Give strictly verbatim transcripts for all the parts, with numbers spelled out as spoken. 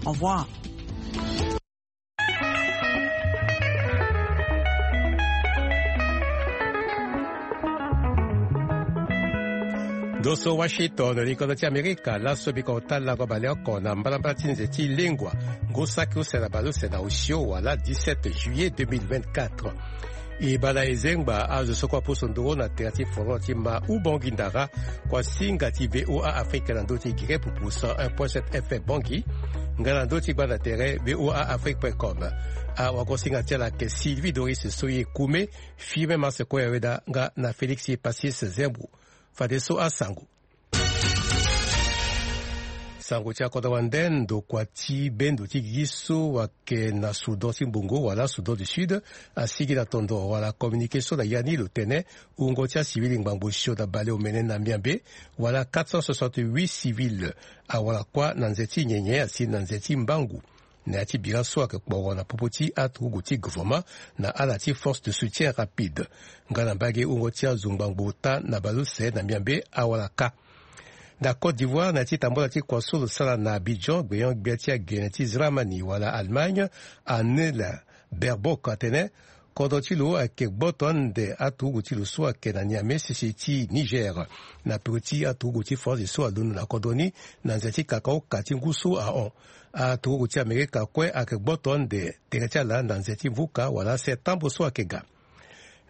Au revoir. Ndo so Washington, likonda ti Amerika. Laso biko ota lango baleoko na mbalambala ti nze ti lengua. Ngu saki use na baleuse na osio wala dix-sept juillet deux mille vingt-quatre. E bana e zengba azo so kue apusu nduru na tere ti foro ti ma Ubongi Ndara, kua singa ti V O A Afrique na ndö ti gere pupu cent un point sept F M Bangui, nga na ndö ti gbanda tere V O A Afrique point com. Awagosinga ti ala ayeke Sylvie Doris Soye Kume, Firmin Marse Koya Weda nga na Félix Passis Zembo. Fadeso asango. Sango ti akodro wande, ndokua ti bendo ti gigi so ayeke na Soudan ti mbongo wala Soudan du Sud asigi na tondoro wala communiqué so na ya ni lo tene wungo ti acivil ngbangbo osio na baleomene na Miambe wala quatre cent soixante-huit civil awara kuâ na nze ti nyenye asi na nze ti mbangu. Na ya ti bira so ayeke kporo na popo ti aturugu ti gouvernement na ala ti force de soutien rapide. Nga na mbage wungo ti azo ngbangbo ota na baleuse na Miambe awara kâ. Na Côte d'Ivoire, na ya ti tambula ti kua so lo sara na Abidjan, gbenyo-gbia ti agene ti Dramani wala Allemagne, Annela Baerbock atene kodro ti lo ayeke gboto ande aturugu ti lo so ayeke na Niamey sese ti Niger, na peko ti aturugu ti Faranzi so alondo na kodro ni na nze ti kakaoka ti ngu so ahon. Aturugu ti Amerika kue ayeke gboto ande tere ti ala na nze ti vuka wala septembre so ayeke ga.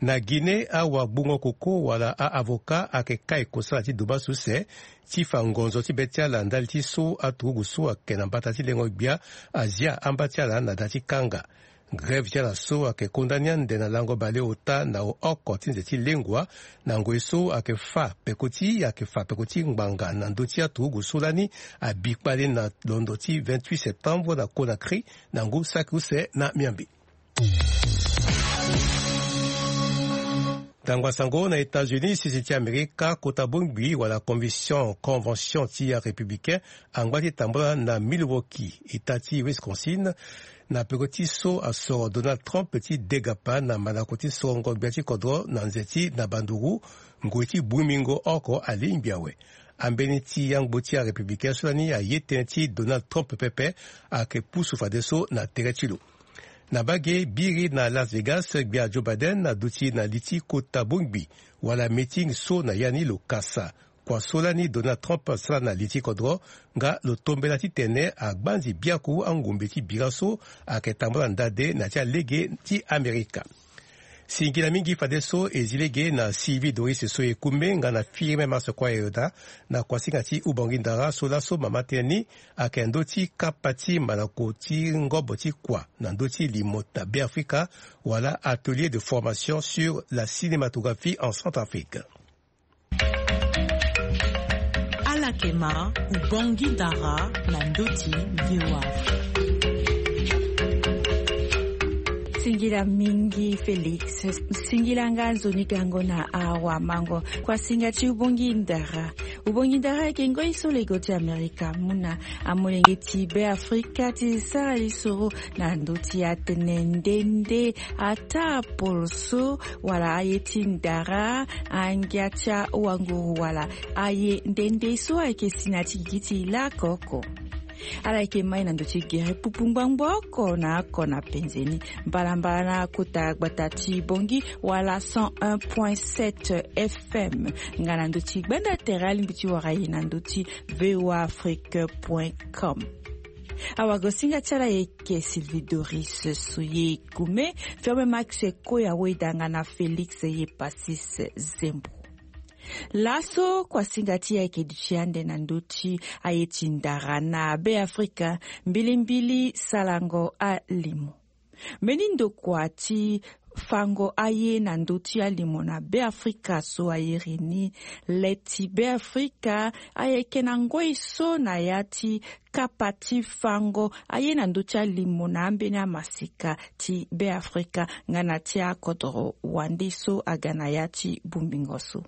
Na Guinée, awagbungo koko wala a-avocat ayeke kai kosala ti duba suse ti fa ngonzo ti be ti ala ndali ti so aturugu so ayeke na mbata ti lengo-gbia azia amba ti ala na da ti kanga. Grève ti ala so ayeke konda ni ande na lango baleota na oko ti nze ti lengua, na ngoi so ayeke fa peko ti ayeke fa peko ti ngbanga na ndö ti aturugu so lani abi kpale na londo ti vingt-huit septembre na Conakry na ngu saki use na Miambe. Tangba sango na États-Unis, sese ti Amerika, kota bongbi wala convention, convention ti arépublicain angba ti tambula na Milwaukee, état ti Wisconsin, na peko ti so asoro Donald Trump ti degapa na mandako ti sorongo gbia ti kodro na nze ti na banduru, ngoi ti bungbingo oko alingbi awe. Ambeni ti yangbo ti arépublicain so lani aye tënë ti Donald Trump pepe ayeke pusu fadeso na tere ti lo. Na mbage biri na Las Vegas, gbia Joe Biden aduti na li ti kota bongbi wala meeting so na ya ni lo kasa kua so lani Donald Trump asara na li ti kodro, nga lo tombela titene agbanzi biaku angumbe ti bira so ayeke tambula ndade na ya ti alege ti Amerika. Singila mingi fadeso e zi lege na Sylvie Doris so e kumbe nga na Firmin Marse Koya Weda na kuasinga ti Ubongi Ndara so laso mama tënë ni ayeke ndö ti kapa ti mandako ti ngobo ti kua na ndö ti limo na Beafrika wala atelier de formation sur la cinématographie en Centrafrique. Ala yeke ma Ubongi Ndara na ndö ti V O A. Singila mingi Félix. Singila nga nzoni gango na awamango. Kuasinga ti Ubongi Ndara. Ubongi Ndara ayeke ngoi so lego ti Amerika amu na amolenge ti Beafrika ti sara lisoro na ndö ti atene nde nde ataa poroso wala aye ti ndara, angia ti awanguru wala aye nde nde so ayeke si na ti gigi ti lakoko. Ala yeke mai na ndö ti gere pupu ngbangbo oko na oko na penze ni. Mbalambala na kota gbata ti Bongi wala cent un point sept F M. Nga na ndö ti gbanda tere alingbi ti wara e na ndö ti V O A Afrique point com. Awagosinga ti ala yeke Sylvie Doris Soye Kume, Firmin Marse Koya Weda nga na Félix Passis Zembo. Laso kuasinga ti e ayeke duti ande na ndö ti aye ti ndara na Beafrika, mbilimbili salango alimo. Mbeni ndokua ti fango aye na ndö ti alimo na Beafrika so airi ni le ti Beafrika ayeke na ngoi so na ya ti kapa ti fango aye na ndö ti alimo na ambeni amaseka ti Beafrika nga na ti akodoro wande so aga na ya ti bongbingo so.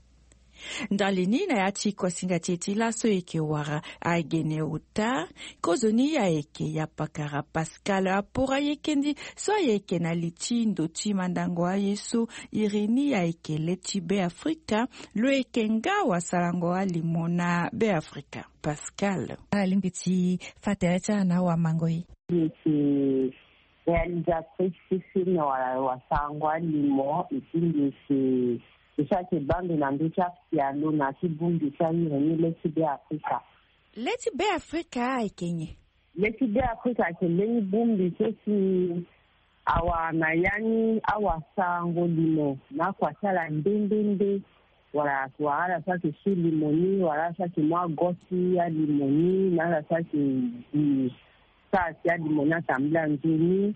Ndali ni na ya ti kosinga ti e ti laso e yeke wara agene ota. Kozoni ayeke ya pakara Pascal Apora Yekendi so ayeke na li ti ndo ti mandango aye so iri ni ayeke le ti Beafrika. Lo yeke nga wasarango alimo na Beafrika. Pascal, alingbi ti fa tere ti ala na awamango ye. Mbi yeke réalisatrice ti film wala wasarango alimo, et puis mbi yeke, mbi so ayeke baa mbi na ndö ti apialo na ya ti bongbi ti aire ni le ti Beafrika. Le ti Beafrika ayeke nyen? Le ti Beafrika ayeke mbeni bongbi so si awara na ya ni awasarango limo na akua ti ala nde nde nde. Wala wara ala so ayeke su limo ni, wala ala so ayeke mu ago ti alimo ni, na ala so ayeke gi sara ti alimo ni atambula nzoni.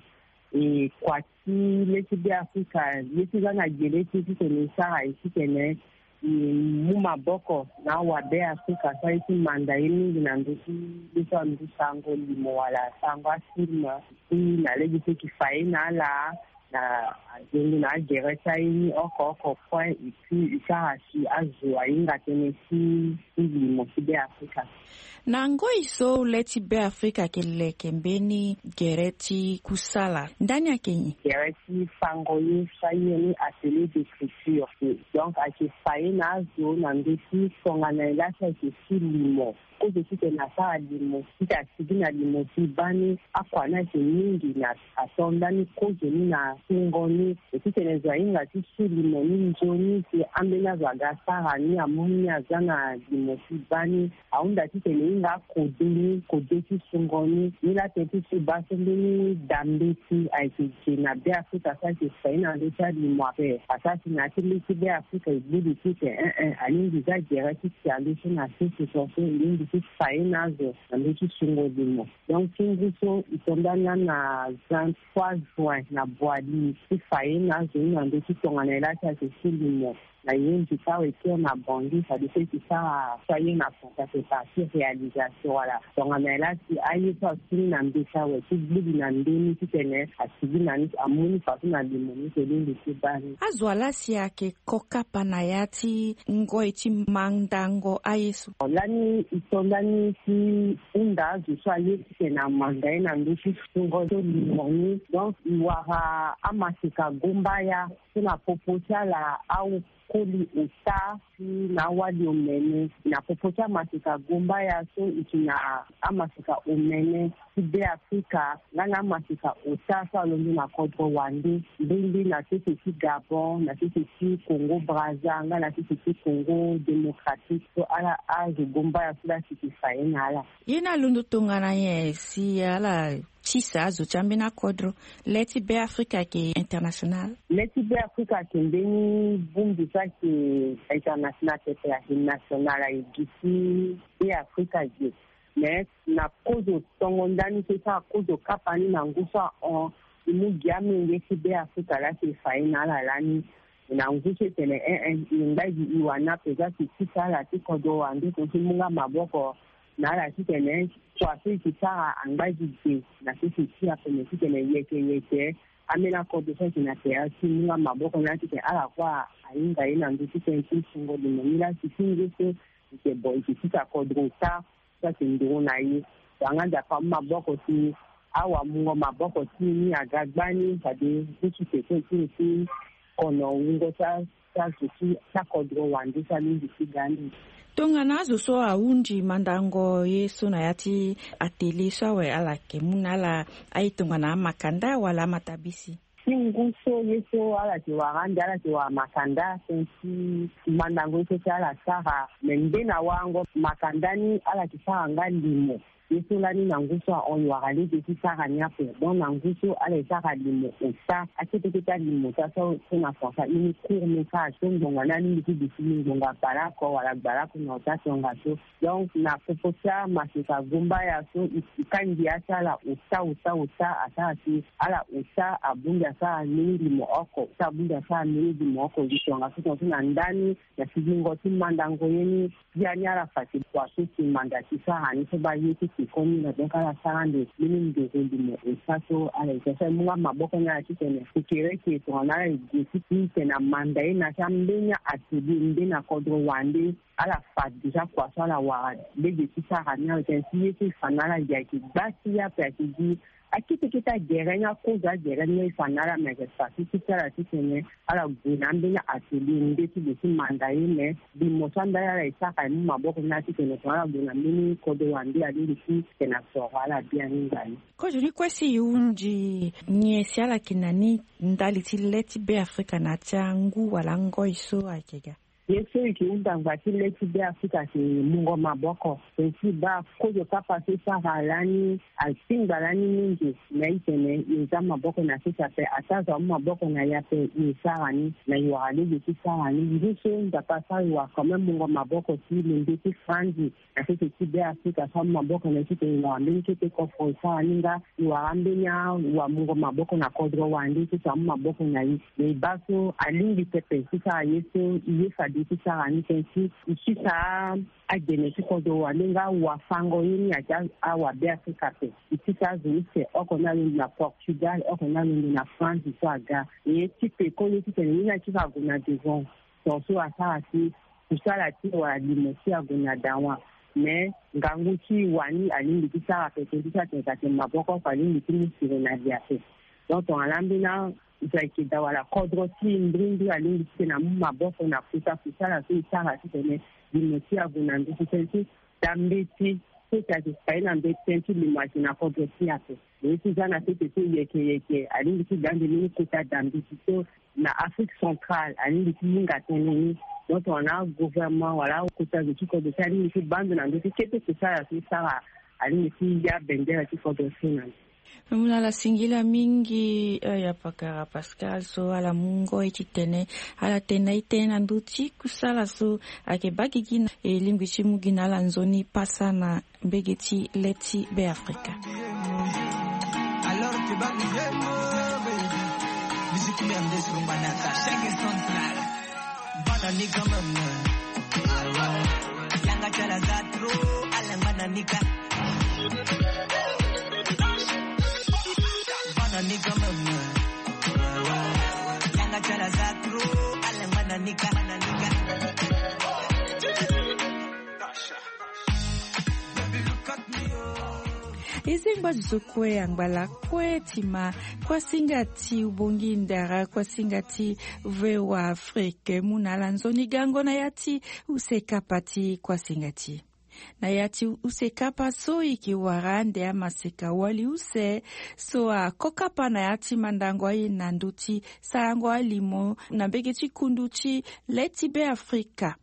E kua ti le ti Beafrika, le ti za na gere ti titene e sara e titene e mu maboko na awabeafrika so aye ti manda ye mingi na ndö ti le so andu sarango limo wala sarango afilm. Ti na lege so e yeke fa ye na ala na azengo na agere ti aye ni oko oko kue, et puis e sara si azo ahinga tënë ti ti limo ti Beafrika. Na ngoi so le ti Beafrika ayeke leke mbeni gere ti kusala, ndani ayeke nyen? Gere ti fango ye so aye ni atelier d'écriture. Donc ayeke fa ye na azo na ndö ti tongana nyen la si ayeke su limo. Kozo titene asara limo, titene asigi na limo ti baa ni, akua ni ayeke mingi na ato ndani kozo ni na sungo ni. E titene zo ahinga ti su limo ni nzoni si ambeni azo aga asara ni, amu ni aza na limo ti baa ni. Ahunda titene e hinga akode ni, kode ti sungo ni. Ni laa tënë ti so e baa so mbeni da mbeti ayeke ge na Beafrika so ayeke fa ye na ndö ti alimo ape. Asara si na ya ti le ti Beafrika e gbu li titene en en, alingbi za gere ti si ande so na sese so so e lingbi ti fa ye na azo na ndö ti sungo limo. Donc ti ngu so e to ndani na vingt-trois juin na Boali ti fa ye na azo ni na ndö ti tongana nyen la si ayeke su limo. Na ye nzika awe ti na Bangui, fade so e yeke sara so aye na français ayeke partie réalisation wala tongana nyen la si aye so asu ni na mbeti awe ti gbu li na nde ni titene asigi na ni, amu ni fadeso na limo ni so e lingbi ti baa ni. Azo wa la si ayeke ko kapa na ya ti ngoi ti mandango aye so. Lani e to ndani ti hunda azo so aye titene amanda ye na ndö ti sungo so limo ni. Donc e wara amaseka gombaya so na popo ti ala akoli ota ti na awali omene. Na popo ti amaseka gombaya so e yeke na amaseka omene ti Beafrika nga na amaseka ota so alondo na kodro wande, mbeni na sese ti Gabon, na sese ti Congo Brazza nga na sese ti Congo Démocratique. So ala azo gombaya so la si e yeke fa ye na ala. Ye ni alondo tongana nyen si ala tisa azo ti ambeni akodro? Le ti Beafrika ayeke international. Le ti Beafrika ayeke mbeni bongbi so ayeke international, pepe ayeke national, aye gi ti Beafrika ge. Mais na kozo tongo ndani so e sara kozo kapa ni na ngu so ahon, e mu gi amenge ti Beafrika la si e fa ye na ala lani. Na ngu so e tene en en, e ngba gi e wani ape za si e tisa ala ti kodro wande so ti mu nga maboko na ala titene kua so e yeke sara angba gi ge na sese ti ape, me titene yeke yeke ambeni akodro so ayeke na tere ti mu nga maboko ni la titene ala kue ahinga ye na ndö ti tënë ti sungo limo ni la si ti ngu so e yeke bo e yeke tisa kodro ota so ayeke nduru na ye. Wala nga nzapa amu maboko ti awamungo maboko ti e ni aga gbani, fade ngu so e yeke so e tini ti kono wungo ti a ti azo ti akodro wande so alingbi ti ga ande. Tongana azo so ahunzi mandango ye so na ya ti atelier so awe, ala yeke mu na ala aye tongana amakanda wala amatabisi? Ti ngu so ye so ala yeke wara ande, ala yeke wara makanda tënë ti mandango ye so ti ala sara. Me nde na warango makanda ni ala yeke sara nga limo. Ye so lani na ngu so ahon e wara lege ti sara ni ape. Donc na ngu so ala e sara limo ota, akete kete alimo ota so, so na français aye ni court métrage, so ngbonga ni alingbi ti duti ni ngbonga bale oko wala gbale oko na ota tongaso. Donc na popo ti amaseka gombaya so, e, e ka ngia ti ala ota ota ota, asara si ala ota abongbi asara mbeni limo oko, ota abongbi asara mbeni limo oko. Gi tongaso tongaso na ndani na sigingo ti mandango ye ni, biani ala fa ti kua so si manda ti sara ni so baa ye ti Koni na donc ala sara ande mbeni ndoro limo esa so ala esa so aye mu nga maboko ni ala titene kokereke tongana ala ege ti tene amanda ye na ti ambeni atelier nde na kodro wande. Ala fa déjà kua so ala wara lege ti sara ni awe tene si ye so e fa na ala gi ayeke gba ti ye ape ayeke gi akete kete agere ni akozo agere ni e fa na ala me ayeke fa ti ti ti ala titene ala gue na ambeni atelier nde ti gue ti manda ye me. Limo so andali ala e sara e mu maboko ni ala titene tongana ala gue na mbeni kodro wande alingbi ti tene asoro ala biani ngani. Kozo ni kue si e hunzi nyen si ala yeke na ni ndali ti le ti Beafrika na ya ti angu wala angoi so ayeke ga? Ye so e yeke hunda ngbanga ti le ti Beafrika ayeke mungo maboko. Tene si e baa kozo kapa so e sara lani asingba lani mingi. Na e tene e za maboko na sese ape ataa zo amu maboko na e ape e sara ni na e wara lege ti sara ni ngu so Nzapa asara e wara quand même mungo maboko ti lembe ti franzi. Na sese ti Beafrika so amu maboko na e titene e wara mbeni kete kofro e sara ni nga e wara ambeni awamungo maboko na kodro wande so so amu maboko na e. Me e baa so alingbi pepe ti sara ye so e ye fade ti sara ni tënë ti e sisa agene ti kodro wande nga awafango ye ni ayeke awabeafrika ape. E sisa azo use oko ni alondo na Portugal oko ni alondo na France so aga. E ye ti peko ye titene ye ni ayeke ti fa ague na devant. Tongaso asara si kusala ti e wala limo ti e ague na dawa. Me ngangu ti e wani alingbi ti sara pete ti sara tene ka tene maboko oko alingbi ti mu sere na li ape. Donc tongana ambeni azo ayeke daa wala kodro ti e mbrimbri alingbi ti tene amu maboko na kota kusala so e sara titene limo ti e ague na ndutu tënë ti da mbeti so si ayeke fa ye na mbeti tënë ti limo ayeke na kodro ti e ape. Lo ye ti za na sese so yeke yeke alingbi ti ga ande mbeni kota da mbeti so na Afrique centrale alingbi ti hinga tënë ni. Donc tongana agouvernement wala akota zo ti kodro ti alingbi ti baa ndo na ndö ti kete kusala so e sara alingbi ti ya bendere ti kodro ti e na ndo. Mu na ala singila mingi. Eh, ya pakara Pascal so ala mu ngoi titene ala tene na e tënë na ndö ti kusala so ayeke baa gigi na e lingbi ti mu gi na ala nzoni pasa na mbege ti le ti Beafrika. Alors tu vas me dire, baby. Musique merde sur Manaka, chaque central. Bana ni quand même. Yanga chala za trop, alanga na nika. Bana ni quand même. Yanga chala za trop, alanga na nika. E zengba zo kue angba lakue ti ma. Kuasinga ti ubongi ndara kuasinga ti V O A Afrique mu na ala nzoni gango na ya ti use kapa ti kuasinga ti e. Na ya ti use kapa so e yeke wara ande amaseka wali use so ako kapa na ya ti mandango aye na ndö ti sarango alimo na mbege ti kundu ti le ti Beafrika.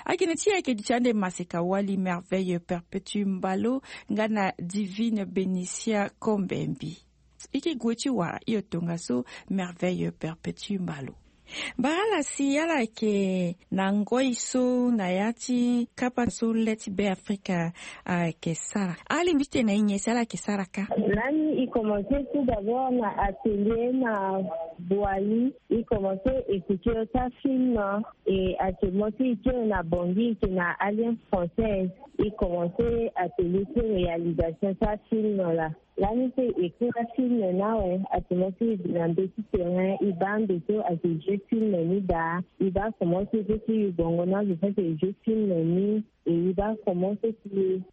Akene ti e ayeke duti ande maseka wali Merveille Perpétue Mbalo nga na Divine Benicia Kombembi. E ke gue ti wara hio tongaso Merveille Perpétue Mbalo. Bara ala si ala yeke na ngoi so na ya ti kapa so le ti Beafrika ayeke sara. Alingbi ti tene na e nyen si ala yeke sara kâ? Lani e commencé tout d'abord na atelier na Boali. E commencé écriture ti afilm. Et actuellement so e kiri na Bangui, e yeke na Alliance Française. E commencé atelier ti réalisation ti afilm laa. Lani so e écrire afilm ni awe, actuellement so e gue na ndö ti terrain, e baa ande so ayeke jeu film ni daa. E baa comment so e peut ti yu bongo na azo so ayeke jeu film ni. Et e baa comment so e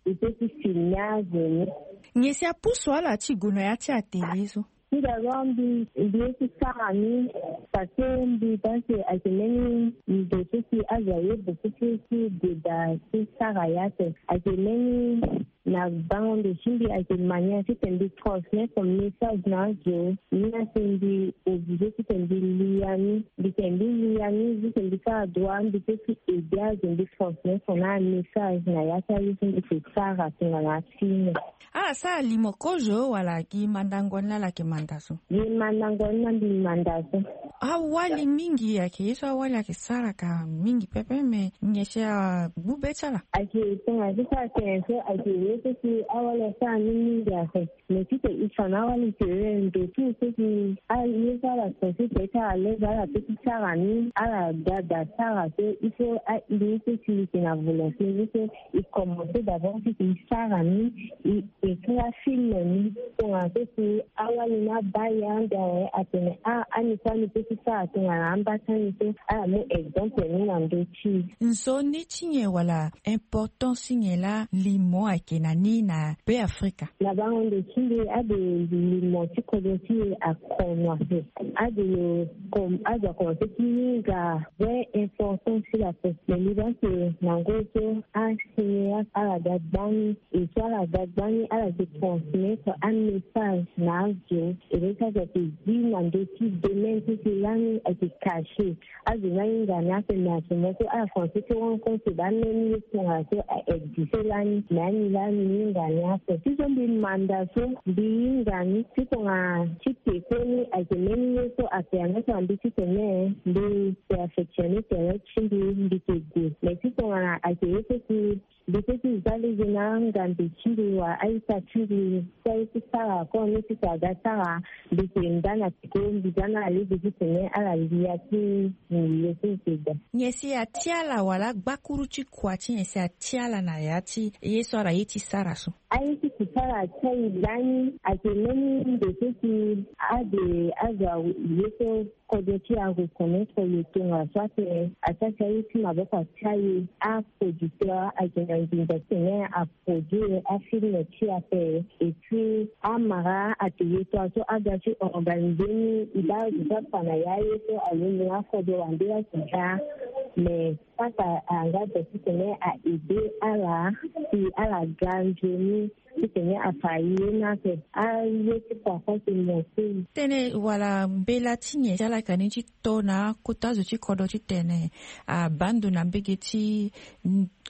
peut ti filmer azo ni. Nyen si apusu ala ti gue na ya ti atelier so? Tout d'abord mbi, mbi ye ti sara ni parce que mbi pense ayeke mbeni ndo so si azo aye beaucoup plus ti gue daa ti sara ye ape. Ayeke mbeni na bango ndo ti mbi ayeke manière titene mbi transmettre message na azo. Ni ase mbi obligé titene mbi lia ni. Mbi tene mbi lia ni juste mbi sara droit mbi peut ti aider azo mbi transmettre na amessage na ya ti aye so mbi yeke sara tongana afilm. Ala sara limo kozo wala gi mandango ni laa ala yeke manda? Nda so ye mandango ni na mbi manda so. Awali mingi ayeke ye so awali ayeke saraka mingi pepe, me nyen si agbu be ti ala? Ayeke tongana so so atene so ayeke ye so si awali asara ni mingi ape. Me ti tene e fa na awali tene ndo ti e so si aye so ala sensé tene ti ala lege ala pe ti sara ni, ala ga da sara so il faut a-ini so si e yeke na volonté ni so e commencé d'abord ti tene e sara ni, e écrit afilm ni. Tongana so si awali na abaa ye ande awe atene a, ani so ani pe ti sara tongana amba ti ani so, ala mu exemple ni na ndö ti e. Nzoni ti nyen wala importance ti nyen laa limo ayeke na ni na Be Afrika? Na bango ndo ti mbi ade limo ti kodro ti e akono ape. Ade lo kom-, ade akomanse ti hinga vraie importance ti la peste. Me mbi baa ke na ngoi so asinéaste ala ga gbani, e so ala ga gbani ala yeke transmettre amessage na azo. E laa ti azo ayeke zi na ndö ti domaine ti si lani ayeke caché. Azo ni ahinga ni ape, me à ce moment so ala français ti rendre compte ba même ye so tongana so a existe lani, me ani laa mbi hinga ni ape. Ti so mbi manda so mbi hinga ni ti tongana ti peko ni ayeke même ye so apermettre na mbi ti tene mbi perfectionner tere ti mbi, mbi yeke gue. Me ti tongana ayeke ye so si mbi pe ti za lege na angambe ti mbi wala a-ita ti mbi so aye ti sara kue ni ti tene aga sara, mbi yeke nda na peko, mbi za na alege ti tene ala lia ti mbi ye so mbi yeke da. Nyen si ati ala wala agbakuru ti kua ti nyen si ati ala na ya ti ye so ala ye ti sara so? Aye ti si sara ti aye lani ayeke mbeni ndo so si ade azo aye so kodro ti e areconnaître lo tongaso ape. Ati ati aye ti maboko ti aye, aproducteur ayeke na nginza ti tene aproduire afilm ti e ape. Et puis amara ayeke ye tongaso aga ti organiser ni, e baa azo so afa na ya aye so alingbi na akodro wande ayeke daa. Mais saka ayanga daa ti tene a aider ala si ala ga nzoni ti tene afa ye ni ape. Aye ti kua kue ti mo ti. Tënë wala mbela ti nyen ti ala yeke na ni ti to na akota zo ti kodro ti tene abaa ndo na mbege ti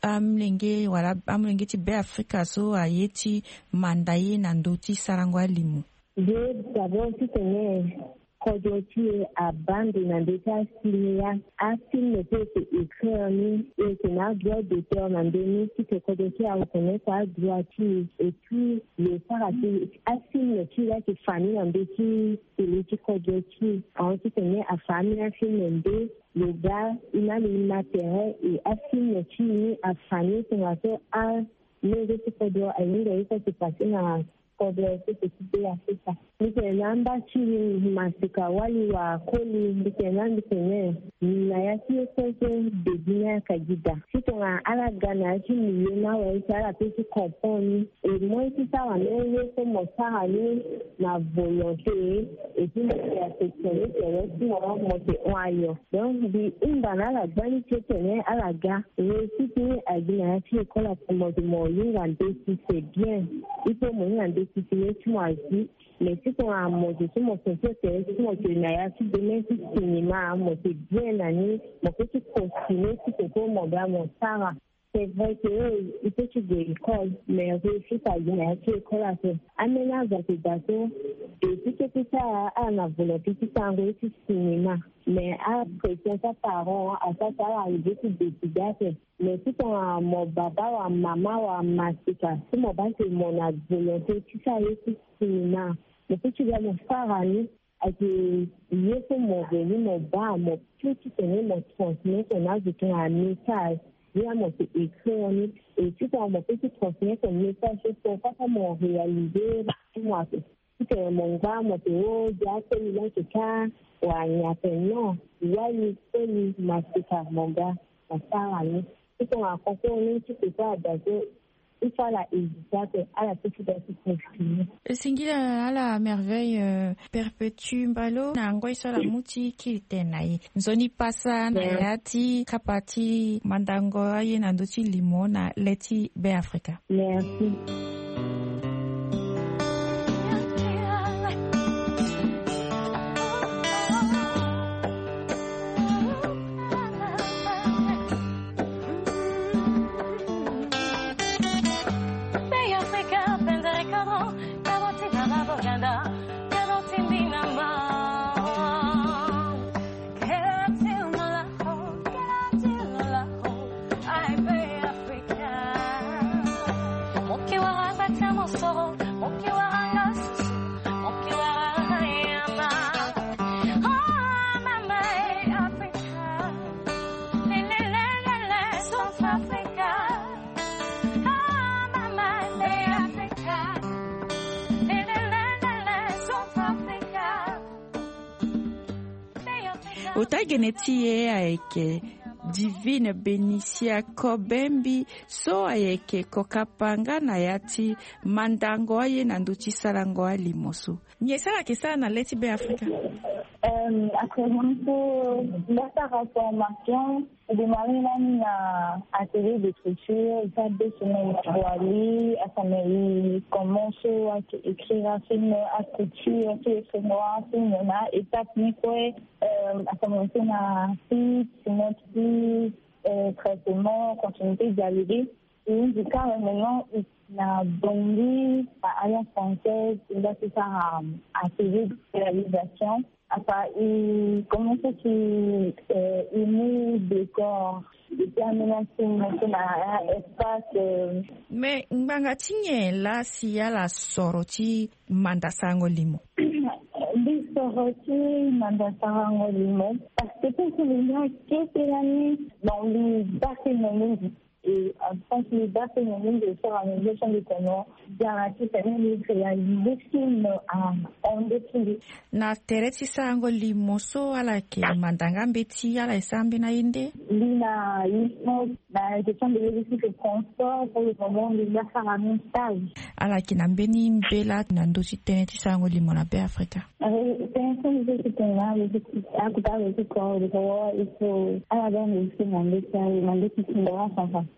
amolenge wala amolenge ti Be Afrika so aye ti manda ye na ndö ti sarango alimo? Nde d'abord ti tene kodro ti e abaa ndo na ndö ti asinéaste. Afilm so e yeke écrire ni, e yeke na adroit d'auteur na ndö ni, ti tene kodro ti e areconnaître adroit ti e. Et puis lo sara si afilm ti e laa ayeke fa ni na ndö ti télé ti kodro ti e. Ahon ti tene afa ambeni afilm nde, lo ga e na lo e ma tere, e afilm ti e ni afa ni tongaso amolenge ti kodro ahinga ye so ayeke passé na kodro so ayeke ti Be Afrika. Mbi tene na amba ti mbi, Masika Wali wa Koli, mbi tene na mbi tene na ya ti ye so so début ni ayeke gi daa. Ti tongana ala ga na ya ti milieu ni awe si ala pe ti comprendre ni. E moi ti sara ni ye so mo sara ni na volonté, et puis mo yeke affectionner tere ti mo, mo yeke hon ayo. Donc mbi hunda na ala gbani ti tene ala ga. Réussite ni agi na ya ti école ape, mo yeke mo hinga ndeti c'est bien. Il faut mo hinga ndeti si ye ti mo azi. Mais ti tongana mo zo so mo sensé tere ti mo yeke na ya ti domaine ti cinéma, mo yeke bien na ni, mo peut ti continuer ti tene so mo ga mo sara. C'est vrai que il peut ti gue école, mais réussite agi na ya ti école ape. Ambeni azo ayeke daa so, et ti kete ti ala ala na volonté ti sarango ye ti cinéma. Mais apression ti aparent asara si ala arrivé ti décider ape. Mais ti tongana mo baba wa mama wa masika, si mo baa ke mo na volonté ti sara ye ti cinéma, mo peut ti ga mo sara ni. Ayeke ye so mo reni mo baa, mo peut ti tene mo transmettre na azo tongana message. Ye laa mo yeke écrire ni, et ti tongana mo peut ti transmettre message so, so kaka mo réaliser ti mo ape. Ti tene mo ngba mo tene o, dia akoli laa ayeke ka wa nyen ape, non. Wali, koli, masika, mo ga mo sara ni. Ti tongana concours ni ti tene so ada so, il faut ala hésiter ape, ala peut ti ga ti continuer. Singila na ala Merveille, euh, Perpétue Mbalo na ngoi so ala mu ti kiri tene na e. Nzoni pasa na ya ti kapa ti mandango aye na ndö ti limo na le ti Be Afrika. Merci. Ota gene ti e ayeke Divine Benicia Kobembi, so ayeke kokapanga na ya ti mandango aye na ndö ti sarango alimo so. Nyen so ala yeke sara na le ti Be Afrika? Après mon tour, la sa reformation. Démarrer lani na atelier d'écriture, eza deux semaines. Wali asama e commence wa ke écrire film, ascriture ti écrire wa film na étape ni kue. Asama e na site, note, traitement, continuité, dialoguer. Ehunzi kara maintenant na Bangui, na Alliance Française, e nga ti sara atelier de réalisation. Afa e commence ti e mu décor, e ti amena ti mo so na espace. Mais ngbanga ti nyen la si ala soro ti manda sarango limo? Mbi soro ti manda sarango limo parce que pour que le lien kete lani dans le bassin de. Et en tant que bassin de, de faire une gestion de comment garantir quand même les réaliser film en défilé. Na tere ti sarango limo so ala yeke manda nga mbeti, ala e sara mbeni aye nde? Mbi na limo na gestion de logistique et transport. Pour le moment mbi nga sara même stage. Ala yeke na mbeni mbela na ndö ti tënë ti sarango limo na Be Afrika? Tënë so mbi zo ti tene na akuta réseau corps de wawa il faut ala ga nde aussi na ndeti na ndeti ti ndara centrafricain.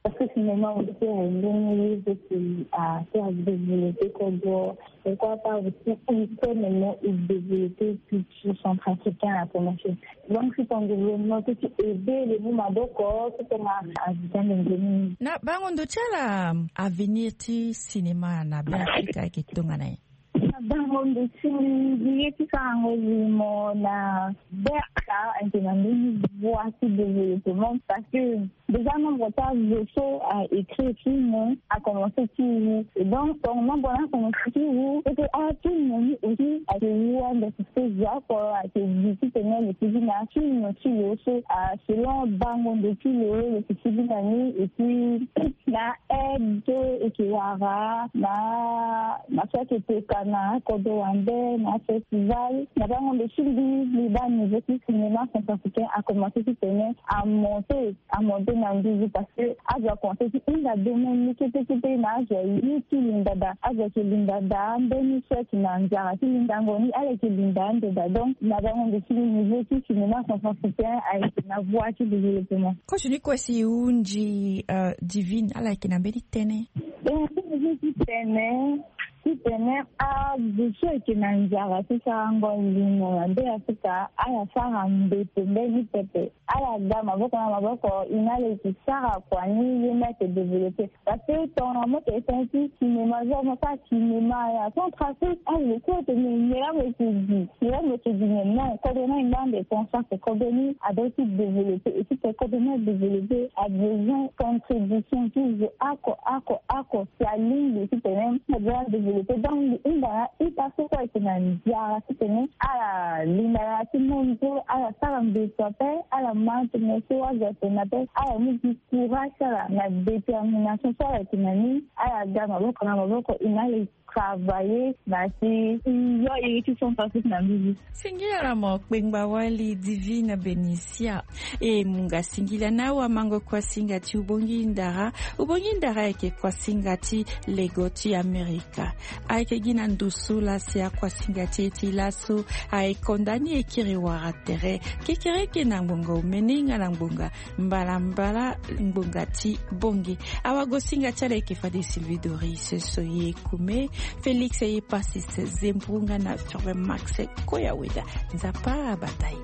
Parce que cinéma aussi aye ndenge ye zo ti a faire développer kodro. Pourquoi pas aussi pour que maintenant il développer culture centrafricaine à promotion. Donc c'est un développement qui aider les mots maboko, c'est un avitan de ndeni. Na bango ndo ti ala avenir ti cinéma na Be Afrika ayeke tongana ye? Na bango ndo ti mbi ye ti sarango limo na Be Afrika ayeke na mbeni voie ti développement parce que déjà nombre ti azo so a écrit film a commencé ti wu. Et donc ton nombre na commencé ti wu, et puis a film ni aussi ayeke wu ande ti zo oko ayeke gi titene lo yeke gi na film ti lo so a selon bango ndo ti lo lo yeke gi na ni. Et puis na aide so e yeke wara na na so ayeke toka na akodro wande na afestival. Na bango ndo ti mbi mbi baa niveau ti cinéma centrafricain a commencé titene a monté a monté na nduzu parce que azo a commencé ti hinga domaine ni kete kete na azo aye ti linda daa. Azo ayeke linda daa mbeni so ayeke na nzara ti lindango ni ala yeke linda ande daa. Donc na bango ndo ti mbi niveau ti cinéma centrafricain ayeke na voie ti développement. Coach ni kue si e hunzi Divine ala yeke na mbeni tënë? Tënë ti tene titene azo so ayeke na nzara ti sarango limo na Be Afrika ala sara mbeto mbeni pepe. Ala ga maboko na maboko, e na ala e yeke sara kua ni ye mbi ayeke développé. Parce que tongana mo yeke tene ti cinéma genre mo sara cinéma ya centrafrique azo kue ayeke nyen? Nyen la mo yeke gi? Nyen la mo yeke gi nyen? Non, kodro ni ayeke ngbanga de conscience, kodro ni adoit ti développé. Et puis kodro ni adéveloppé a besoin contribution ti zo oko oko oko. Si alingbi titene aza adéveloppé donc mbi hunda na ita so kue ayeke na nzara titene ala linda na ya ti monde so ala sara mbeto ape, ala ma tene so azo atene ape, ala mu gi courage ti ala na détermination so ala yeke na ni. Ala ga maboko na maboko e na ala e travailler na ya ti yo iri ti centrafrique na mbi. Singila na mo kpengba wali Divine Benicia. E munga singila na awamango kuasinga ti ubongi ndara. Ubongi ndara ayeke kuasinga ti lego ti Amerika. Ayeke gi na ndo so la si akuasinga ti e ti laso aye konda ni e kiri wara tere kekereke na ngbonga omene nga na ngbonga mbalambala ngbonga ti bonge. Awagosinga ti ala ayeke fade Sylvie Doris, Soye Kume, Félix Epasis Zembrunga na Firmin Max Koyaweda. Nzapa abata e.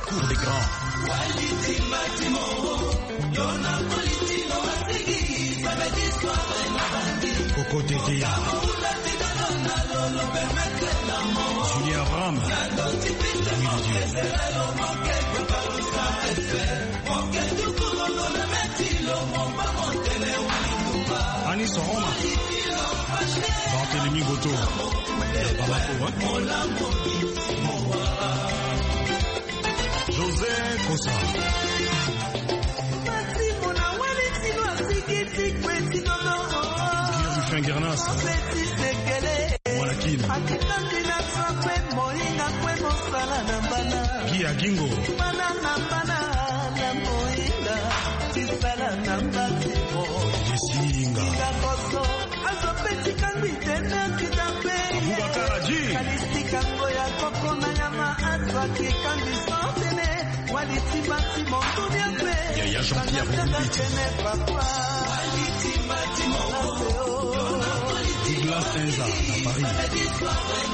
Cour des grands. Coco Tete. Julien Abraham. Ani Soroma. Barthélemy Goto. Bamako, hein? José Kosa. Gernas. Mwana Kin. Akitaki na swa kwe moyinga kwe mosala na bana. Gi Agingo. Bana na bana na moyinga. Tisala na mbasi mo. Yesinga. Inga koso. Azo pe tika ngbi tene kita pe. Abubakar Haji. Kalistika ngo ya koko na ya ma azo akikambi so tene. Yaya Jean-Pierre Moumbiti. Douglas Enza na Paris.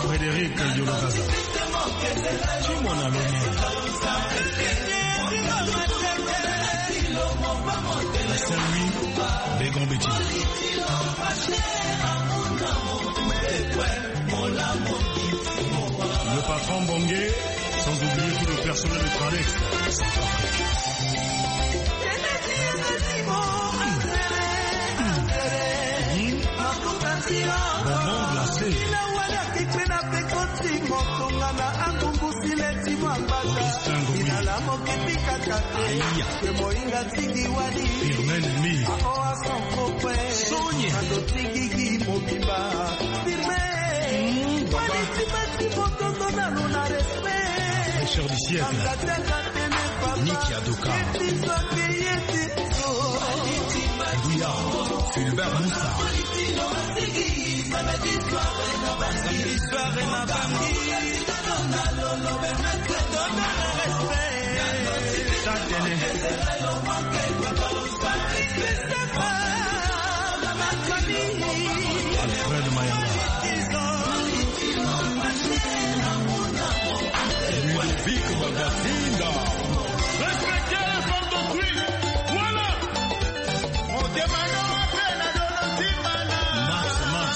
Frédéric Yolokaza. Simon Aloni. Saint-Louis, Begon Betty. Le patron Bongué, sans oublier tout le personnel de Tradex. Bonbon glacé. Augustin Ngobila. Aïe. Firmin Lemay. Sonia. Richard du siècle. Nicky Adoka. Douya. Fulbert Moussa. Alfred Mayanga. Ludovic Bagatinda. Respectez les femmes d'autrui. Voilà. Motema no ape na dolo ntima na. Max, Max,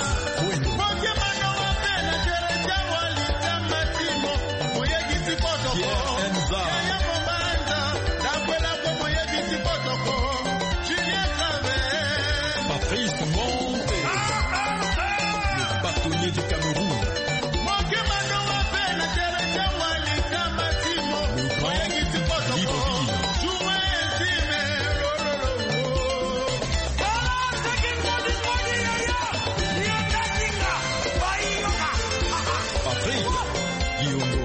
Wendo. Motema no ape na Teresa Walita Matimo. Moyebisi kotoko. Pierre Enza. Yaya Momanda. Dakwela ko moyebisi kotoko. Juliette Lave. Patrice Monte. Ah, ah, ah. Le bâtonnier du Cameroun. Le grand Ali Bobi. Patrick Diongo.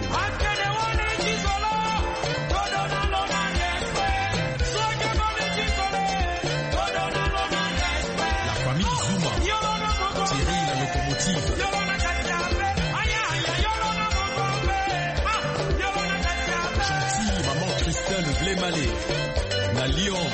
La famille Zuma. Thierry la locomotive. Gentil, maman Christelle Blé Malé. Na Lyon.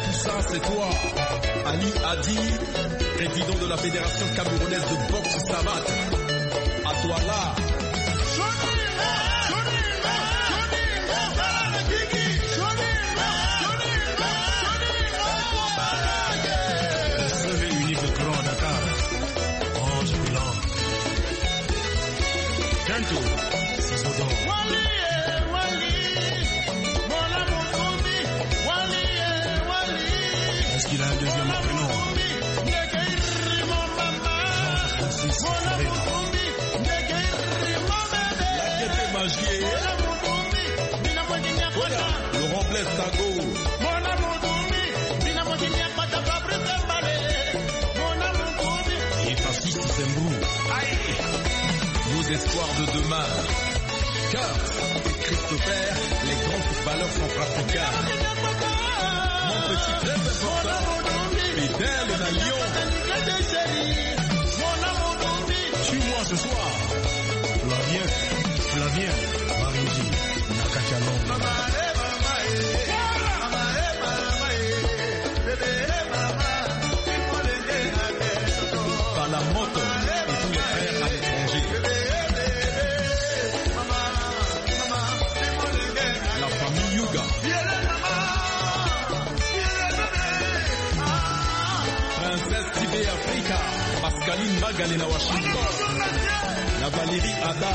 Tout ça, c'est toi, Ali Hadi, président de la Fédération camerounaise de boxe savate. À toi là. Le seul et unique grand Dakar. Ange Milan. Kento, Sisodon. Est-ce qu'il a un deuxième prénom ? Jean Francis Ferreira. Laurent Blaise Tago. Et Francis Zembou. Nos espoirs de demain. Kurt et Christopher, les grands footballeurs centrafricains. Mon petit, très important, Fidèle na Lyon. Suis-moi ce soir. Flavien, Flavien Maringi, Nakachano. Mama, eh, mama, eh. Mama, eh, mama, eh. Bébé, eh, mama. Aline Magale na Washington. Na Valérie Ada.